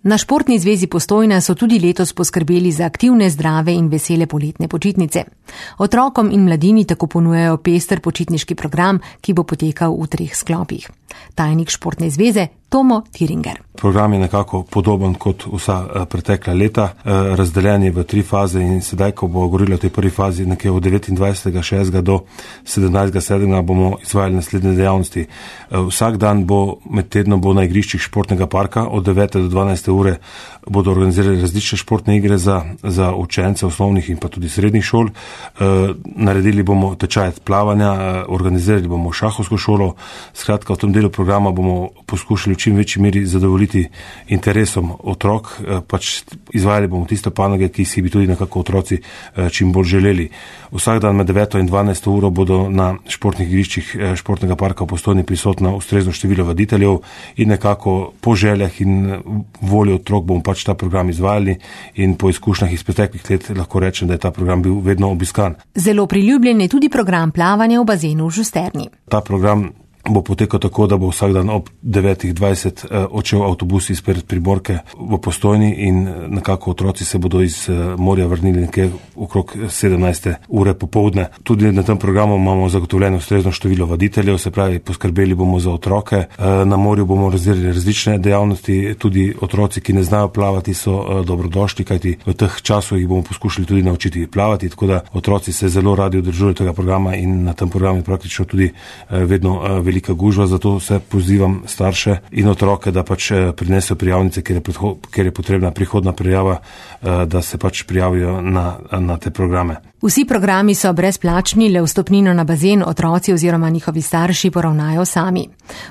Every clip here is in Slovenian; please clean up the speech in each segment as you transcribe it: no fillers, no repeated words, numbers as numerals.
Na Športni zvezi Postojna so tudi letos poskrbeli za aktivne, zdrave in vesele poletne počitnice. Otrokom in mladini tako ponujajo pester počitniški program, ki bo potekal v 3 sklopih. Tajnik Športne zveze Tomo Tiringer. Program je nekako podoben kot vsa pretekla leta, razdeljen je v 3 faze in sedaj, ko bo govorilo o tej prvi fazi, nekje od 29.6. do 17.7. bomo izvajali naslednje dejavnosti. Vsak dan med tednom bo na igriščih športnega parka od 9. do 12. ure bodo organizirali različne športne igre za učence osnovnih in pa tudi srednjih šol. Naredili bomo tečaj plavanja, organizirali bomo šahovsko šolo. Skratka, v tem delu programa bomo poskušali v čim večji meri zadovoljiti interesom otrok, izvajali bomo tiste panoge, ki si bi tudi nekako otroci čim bolj želeli. Vsak dan med 9. in 12. uro bodo na športnih igriščih športnega parka v Postojni prisotno ustrezno število vaditeljev in nekako po željah in volji otrok bomo ta program izvajali in po izkušnjah iz preteklih let lahko rečem, da je ta program bil vedno obiskan. Zelo priljubljen je tudi program plavanja v bazenu v Žusterni. Ta program bo potekal tako, da bo vsak dan ob 9.20 odšel avtobus izpred Primorke v Postojni in nekako otroci se bodo iz morja vrnili nekje okrog 17. ure popoldne. Tudi na tem programu imamo zagotovljeno ustrezno število vaditeljev, se pravi, poskrbeli bomo za otroke. Na morju bomo razdelili različne dejavnosti, tudi otroci, ki ne znajo plavati, so dobrodošli, kajti v teh časih jih bomo poskušali tudi naučiti plavati, tako da otroci se zelo radi udeležujejo tega programa in na tem programu je praktično tudi vedno velika gužva, zato se pozivam starše in otroke, da prinesejo prijavnice, ker je potrebna prihodna prijava, da se prijavijo na te programe. Vsi programi so brezplačni, le vstopnino na bazen otroci oziroma njihovi starši poravnajo sami.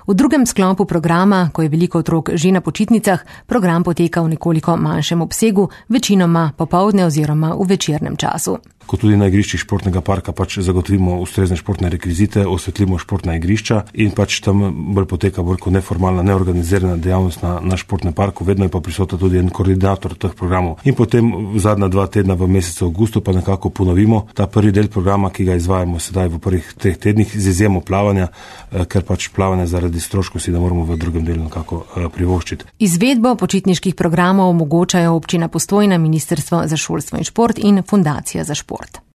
V drugem sklopu programa, ko je veliko otrok že na počitnicah, program poteka v nekoliko manjšem obsegu, večinoma popoldne oziroma v večernem času. Ko tudi na igriščih športnega parka zagotovimo ustrezne športne rekvizite, osvetlimo športna igrišča in tam bolj poteka bolj kot neformalna, neorganizirana dejavnost na športnem parku, vedno je pa prisoten tudi en koordinator teh programov. In potem zadnja 2 tedna v mesecu avgustu pa nekako ponovimo ta prvi del programa, ki ga izvajamo sedaj v prvih 3 tednih z izjemo plavanja, ker plavanje zaradi stroškov si ne moramo v drugem delu nekako privoščiti. Izvedbo počitniških programov omogočajo občina Postojna, Ministrstvo za šolstvo in šport in Fundacija za šport.